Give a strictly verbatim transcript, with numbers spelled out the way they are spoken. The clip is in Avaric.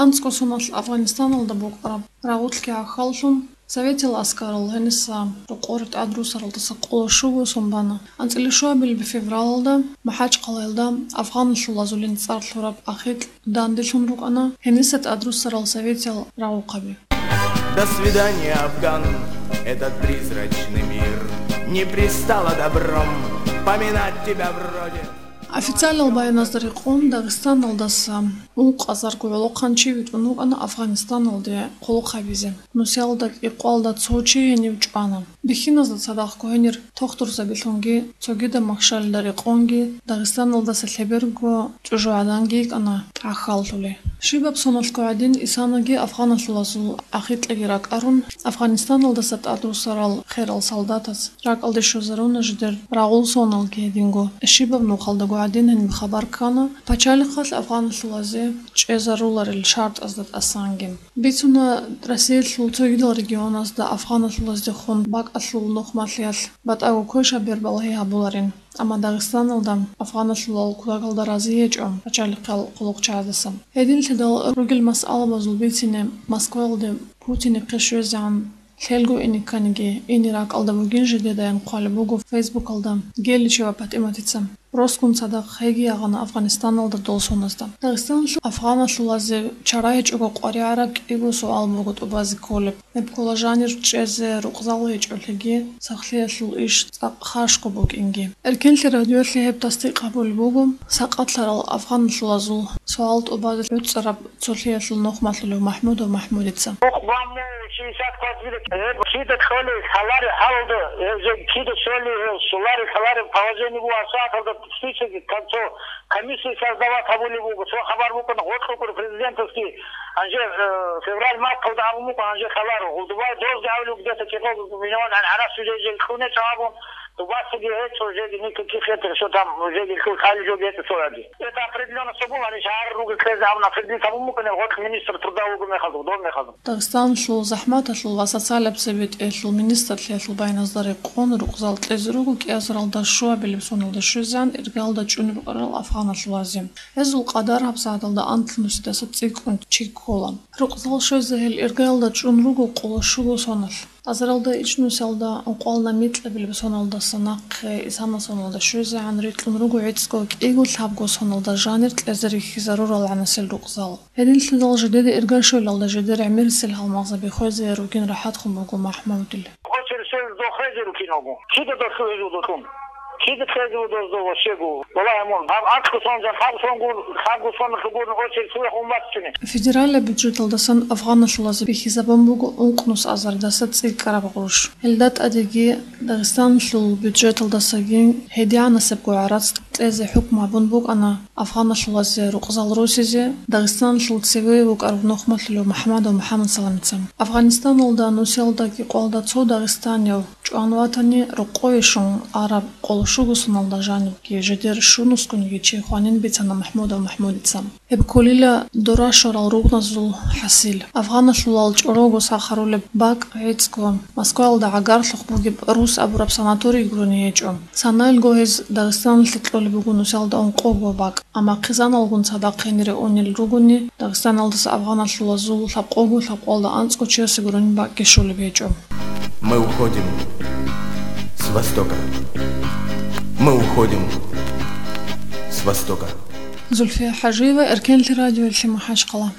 АнцӀго соналъ Афганистаналда букӀараб рагъулъги гӀахьаллъун, Советил аскарал гьениса рокъоре тӀадрусаралдаса къоло щуго сон бана. АнцӀила щуабилеб февралалда МахӀачхъалаялда афганалъулазулин цӀар лъураб ахикь данделъун рукӀана гьениса тӀадрусарал советиял рагъухъаби. До свидания, Афган, этот призрачный мир. Не пристало добром поминать тебя вроде. Официалал баяназда рекъон, Дагъистаналдаса ункъазарго гӀолохъанчи витӀун вукӀана Афганистаналде къуллукъ гьабизе. Нусиялда кӀикъоялда цо чи гьенив чӀвана. Бихьиназда цадахъго гьенир тохтурзабилъунги, цогидаб махщалида рекъонги, Дагъистаналдаса лъеберго чӀужугӀаданги йикӀана гӀахьаллъулей. Щибаб соналъго гӀадин, исанаги афганалъулазул ахикьаги ракӀарун, Афганистаналдаса тӀадрусарал херал солдатаз ракӀалде щвезаруна жидер рагъул соналги гьединго. Щибаб нухалдаго гӀадин гьениб хабар ккана пачалихъалъ афганалъулазе чӀезаруларел шартӀазда тӀасанги. Бицуна, Россиялъул цогидал регионазда афганалъулаздехун бакӀалъул нухмалъиялъ батӀаго квешаб бер балагьи гьабуларин, амма Дагъистаналда афганалъулал кутакалда рази гьечӀо пачалихъал хъулухъчагӀаздаса. Гьединлъидал ругел масъалабазул бицине Москваялде Путинихъе щвезегӀан лъелго ине кканиги, ине ракӀалда бугин жидедаян хъвалеб буго Фейсбукалда Геличева ПатӀиматица. Росгун цадахъ гьеги ягъана Афганистаналда дол соназда. Дагъистаналъул афганалъулазе чара гьечӀого къваригӀараб кӀиго суал буго тӀубазе кколеб. Гьеб ккола жанир чӀезе рукъзал гьечӀолъиги, сахлъиялъул иш цӀакъ хашго букӀинги. Эркенлъи радиоялъе гьеб тасдикъ гьабулеб буго сакъатлъарал афганалъулазул суал тӀубазе гӀуцӀараб цолъиялъул нухмалъулев МахӀмудов МахӀмудица. Охъ, баму, шестьдесят квартир, гьеб кида кьолей лъалари гьалда, гьеб жеги кида щолей, гьеб щолари лъалари положение буго, асфальталда список, там цо комиссия создавать гьабулеб буго, цо хабар букӀана гъоркьукӀур президентовский, гьанже, э, февраль-марталда абун букӀана, гьанже лъаларо. Гъудубай дозги гьавлуг где-то кӀикъого миллион гьанхӀарас уже жеги кьунечӀо абун, тӀубасаги гьечӀо, жеги никаких этих, что там, жеги лъул хали жо гьечӀо цояги. Это определённо что было, они же гьарруги ккезе гьабун, определить гьабун букӀана гъоркь министр труда вуго мехалда, дов мехалда. Дагъистаналъул захӀматалъул ва социалаб цебетӀелъул министрлъиялъул баяназда рекъон, рукъзал кьезе руго кӀиазаралда щуабилеб соналда щвезегӀан иргалда чӀун рукӀарал афганалъулазе. Гьезул къадар гьабсагӀаталда анлънусидаса цӀикӀкӀун чи ккола. Рукъзал щвезе гьел иргалда чӀун руго къоло щуго соналъ. Азаралда ичӀнусиялда ункъоялда микьабилеб соналдаса нахъе исана соналда щвезегӀан рикьун руго гӀицӀго кӀиго лъабго соналда жанир кьезе рихьизарурал гӀанасел рукъзал. Гьединлъидал жидеда ирга щвелалда жидер гӀемерисел гьалмагъзаби хвезе ругин рахӀатхъун буго МахӀмудил. Очередь дохезе рукиного. Кида дохуезе дохун? Кида хезе дозда вошего? Валлагь, мун, гьаб анцӀго сон жан, лъабго сон гур, лъабго сон лъугурни очередь суе хун баччуни. Федералаб бюджеталдасан афганалъулазе бихьизабун буго ункънус азардаса цӀикӀкӀараб гъурущ. Гьелда тӀадеги Дагъистаналъул бюджеталдасаги гьедигӀанасебго гӀарац кьезе хӀукму гьабун букӀана афганалъулазе рукъзал росизе Дагъистаналъул цеве вукӀарав нухмалъулев МухӀамадов МухӀамадсаламица. Афганистаналда нусиялда кӀикъоялда цо дагъистанив чӀван ватани, рокъове щун араб къоло щуго соналда жанибги жидер щунусгунги чи хванин бицана МухӀмудов МухӀмудица. Гьеб кколила дора щварал ругъназул хӀасил. Афганалъулал чӀорого сахарулеб бакӀ гӀицӀго Москваялда гӀагарлъухъ бугеб Рус абураб санаторий гурони гьечӀо. Санаялго гьез Дагъистаналъе кьолеб буго нусиялда ункъого бакӀ, амма хъизаналгун цадахъ гьенире унел ругони, Дагъистаналдаса афганалъулазул лъабкъого лъабкъоялда анцӀго чиясе гурони бакӀги щолеб гьечӀо. Мы уходим с востока. Мы уходим с востока. Зульфия Хажиева, Эркенлъи радиоялъе МахӀачхъала.